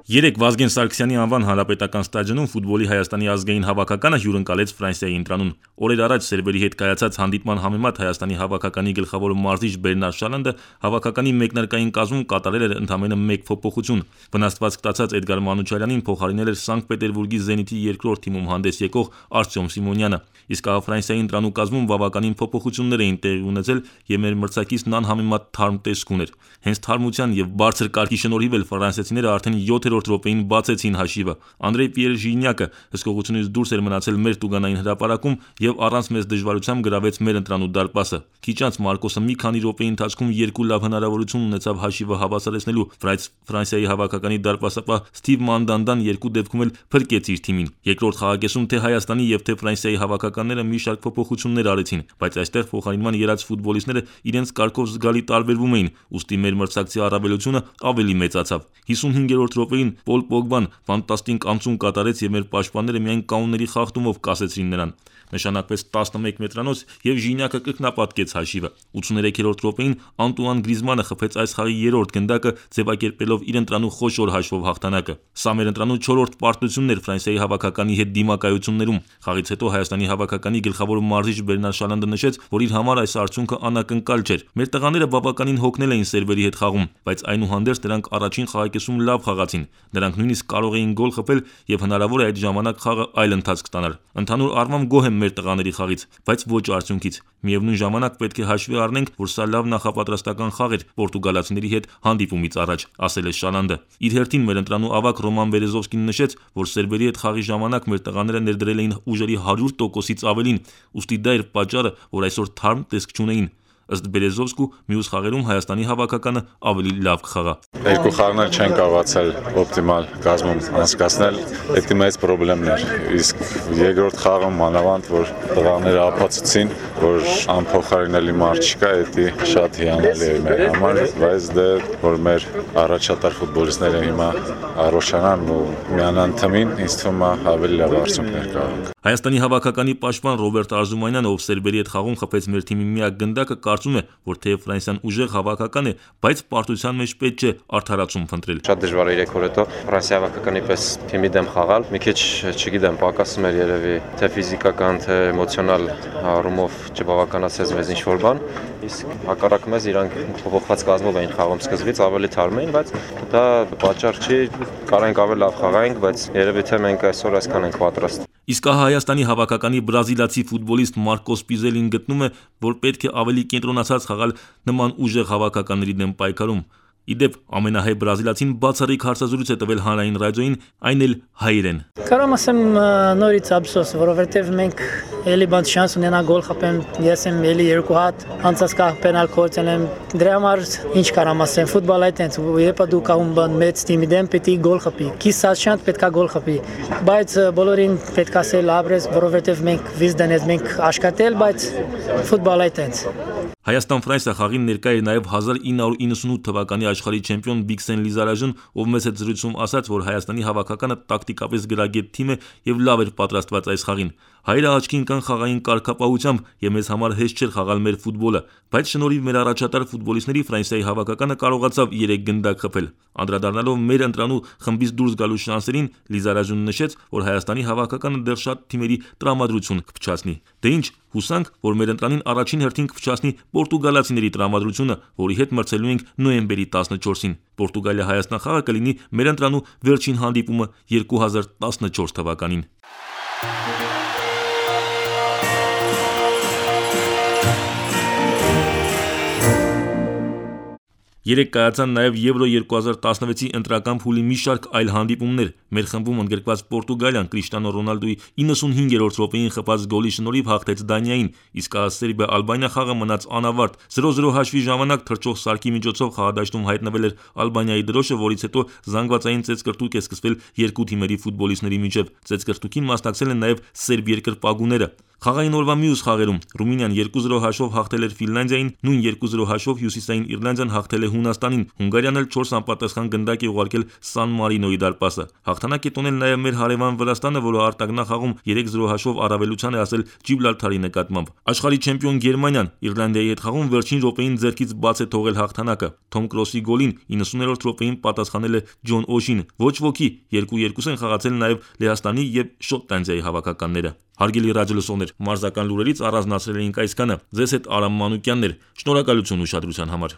Երեկ Վազգեն Սարգսյանի անվան հանրապետական ստադիոնում ֆուտբոլի Հայաստանի ազգային հավաքականը հյուրընկալեց Ֆրանսիայի ընտրանուն։ Օրեր առաջ սերվերի հետ կայացած հանդիպման համեմատ Հայաստանի հավաքականի գլխավոր մարզիչ Բերնար Շալանդը հավաքականի մեկնարկային կազմում կատարել էր ընդամենը մեկ փոփոխություն։ Վնասվածք ստացած Էդգար Մանուչարյանին փոխարինել էր Սանկտ Պետերբուրգի Զենիթի երկրորդ թիմում հանդես եկող Արտյոմ Սիմոնյանը։ Իսկ Ֆրանսիայի ընտրանու կազմում բավականին փոփոխություններ էին տեղի ունեցել եւ մեր մրցակիցն անհամեմատ թարմ տեսք ուներ։ Հենց թարմության եւ բարձր կարգի շնորհիվ էլ ֆրանսիացիները արդեն 7-րդ րոպեին բացեցին հաշիվը։ Անդրեյ Պիեր Ժինյակը հսկողությունից դուրս էր մնացել մեր տուգանային հրապարակում եւ առանց մեծ դժվարությամբ գրավեց մեր ընտրանու դարպասը։ Քիչ անց Մարկոսը մի քանի րոպեի ընթացքում երկու լավ հնարավորություն ունեցավ հաշիվը հավասարեցնելու։ Ֆրանսիայի հավաքականի դարպասապահ Ստիվ Մանդանդան երկու դեպքում էլ փրկեց իր թիմին։ Երկրորդ խաղակեսում թե Հայաստանի եւ թե Ֆրանսիայի հավաքականները մի շարք փոփոխություններ արեցին, բայց այստեղ փոխարինման ելած ֆուտբոլիստները իրենց կարգով զգալի տարբերվում էին, ուստի մեր մրցակցի առավելությունը ավելի մեծացավ։ 55-րդ րոպեին Պոլ Պոգբան ֆանտաստիկ անցում կատարեց եւ մեր պաշտպանները միայն կանոնների խախտումով կասեցին նրան։ Նշանակվեց 11 մետրանոց եւ Ժինյակը կրկնապատկեց հաշիվը։ 83-րդ րոպեին Անտուան Գրիզմանը խփեց այս խաղի երրորդ գնդակը, ձևակերպելով իր ընտրանու խոշոր հաշվով հաղթանակը։ Սա մեր ընտրանու 4-րդ պարտությունն էր Ֆրանսիայի հավաքականի հետ դիմակայություններում։ Խաղից հետո Հայաստանի հավաքականի գլխավոր մարզիչ Բերնար Շալանդը նշեց, որ իր համար այս արդյունքը անակնկալ չէր։ Մեր տղաները բավականին հոգնել էին սերվերի հետ խաղում, բայց այնուհանդերձ նրանք առաջին խաղակեսում լավ խաղացին։ Նրանք նույնիսկ կարող էին գոլ խփել եւ հնարավոր է այդ ժամանակ խաղը այլ ընթացք ստանար։ Ընդհանուր առմամբ գոհ եմ մեր տղաների խաղից, բայց ոչ արդյունքից։ Միևնույն ժամանակ պետք է հաշվի առնենք, որ սա լավ նախապատրաստական խաղ էր պորտուգալացիների հետ հանդիպումից առաջ, ասել է Շալանդը։ Իր հերթին մեր ընտրանու ավագ Ռոման Բերեզովսկին նշեց, որ սերվերի հետ խաղի ժամանակ մեր տղաները ներդրել էին ուժերի 100%-ից ավելին, ուստի դա էր պատճառը, որ այսօր թարմ տեսք չունեին։ Ըստ Բերեզովսկու մյուս խաղերում Հայաստանի հավաքականը ավելի լավ կխաղա։ Երկու խաղներ չեն կարողացել օպտիմալ կազմում անցկացնել, դա մեծ խնդիրն էր։ Իսկ երկրորդ խաղը մանավանդ որ տղաները ապացուցին, որ անփոխարինելի մարդ չկա, դա շատ հիանալի է մեր համար, բայց դա որ մեր առաջատար ֆուտբոլիստները հիմա առողջանան ու միանան թիմին, ինձ թվում է ավելի լավ արդյունքներ կարող։ Հայաստանի հավաքականի պաշտպան Ռոբերտ Արզումանյանը, ով սերբերի հետ խաղում խփեց մեր թիմի միակ գնդակը, կարծում է, որ թեև Ֆրանսիան ուժեղ հավաքական է, բայց պարտության մեջ պետք չէ արդարացում փնտրել։ Շատ դժվար է 3 օր հետո Ֆրանսիա հավաքականի պես թիմի դեմ խաղալ։ Մի քիչ, չգիտեմ, պակասում էր երևի թե ֆիզիկական, թե էմոցիոնալ առումով չբավականացած մեզ ինչ-որ բան։ Իսկ հակառակ մեզ իրանք փոփոխված կազմով էին խաղում սկզբից, ավելի թարմ էին, բայց դա պատճառ չի, կարանք ավելի լավ խաղայինք, բայց երևի թե մենք այսօր այսքան ենք պատրաստ։ Իսկ Հայաստանի հավաքականի բրազիլացի ֆուտբոլիստ Մարկոս Պիզելին գտնում է, որ պետք է ավելի կենտրոնացած խաղալ նման ուժեղ հավաքականների դեմ պայքարում։ Իդեպ ամենահայ բրազիլացին բացառիկ հարցազրույց է տվել հանրային ռադիոյին, այն էլ հայերեն։ Կարամ ասեմ նորից ափսոս, որովհետև մենք էլի բան շանս ունենա գոլ խփեմ, ես եմ էլի երկու հատ անցած կախ պենալ կորցել եմ։ Դրա համար ինչ կարամ ասեմ, ֆուտբոլը այդտենց, երբ դու կահում բան մեծ թիմի դեմ պետք է գոլ խփի։ Կիսած շանս պետքա գոլ խփի։ Բայց բոլորին պետք է ասել ապրես, որովհետև մենք վիզ դնես, մենք աշխատել, բայց ֆուտբոլը այդտենց։ Հայաստան-Ֆրանսիա խաղին ներկա է նաև 1998 թվականի աշխարհի չեմպիոն Բիքսեն Լիզարաժն, ով մեծ հետ զրույցում ասաց, որ Հայաստանի հավաքականը տակտիկապես գրագետ թիմ է եւ լավ էր պատրաստված այս խաղին։ Հայերը աչքի ընկան խաղային կարգապահությամբ եւ մեզ համար հեշտ չէր խաղալ մեր ֆուտբոլը, բայց շնորհիվ մեր առաջատար ֆուտբոլիստների Ֆրանսիայի հավաքականը կարողացավ 3 գնդակ խփել։ Անդրադառնալով մեր ընտրանու խմբից դուրս գալու շանսերին, Լիզարաժն նշեց, որ Հայաստանի հավաքականը դեռ շատ թիմերի տրամադրություն կփչացնի։ Դե ինչ, հուսանք, որ մեր ընտրանին առաջին հերթին կփչացնի պորտուգալացիների տրամադրությունը, որի հետ մրցելու ենք նոյեմբերի 14-ին։ Պորտուգալիա-Հայաստան խաղը կլինի մեր ընտրանու վերջին հանդիպումը 2014 թվականին։ Երեկ կայացան նաև Եվրո 2016-ի ընտրական փուլի մի շարք այլ հանդիպումներ։ Մեր խմբում ընդգրկված Պորտուգալիան Կրիշտիանո Ռոնալդոյի 95-րդ րոպեին խփած գոլի շնորհիվ հաղթեց Դանիային, իսկ Սերբիա-Ալբանիա խաղը մնաց անավարտ։ 0-0 հաշվի ժամանակ թռչող սարքի միջոցով խաղադաշտում հայտնվել էր Ալբանիայի դրոշը, որից հետո զանգվածային ծեծկրտուկ է սկսվել երկու թիմերի ֆուտբոլիստների միջև։ Ծեծկրտուկին մասնակցել են նաև սերբ երկրպագուները։ Խաղային օրվա մյուս խաղերում Ռումինիան 2-0 հաշվով հաղթել էր Ֆինլանդիային, նույն 2-0 հաշվով Հյուսիսային Իռլանդիան հաղթել է Հունաստանին, Հունգարիան էլ 4 անպատասխան գնդակ է ուղարկել Սան Մարինոյի դարպասը։ Հաղթանակ է տոնել նաև մեր հարևան Վրաստանը, որը արտագնախաղում 3-0 հաշվով առավելության է հասել Ջիբրալթարի նկատմամբ։ Աշխարհի չեմպիոն Գերմանիան Իռլանդիայի հետ խաղում վերջին րոպեին ձեռքից բաց է թողել հաղթանակը։ Թոմ Կրոսի գոլին 90-րդ րոպեին պատասխանել է Ջոն Օշին։ Ոչ ոքի 2-2 են խաղացել նաև Լեհաստանի եւ Շոտլանդիայի հավաքականները։ Հարգելի ռադիոլսողներ, մարզական լուրերից առանձնացրել էինք այսքանը։ Ձեզ հետ Արամ Մանուկյանն էր։ Շնորհակալություն ուշադրության համար։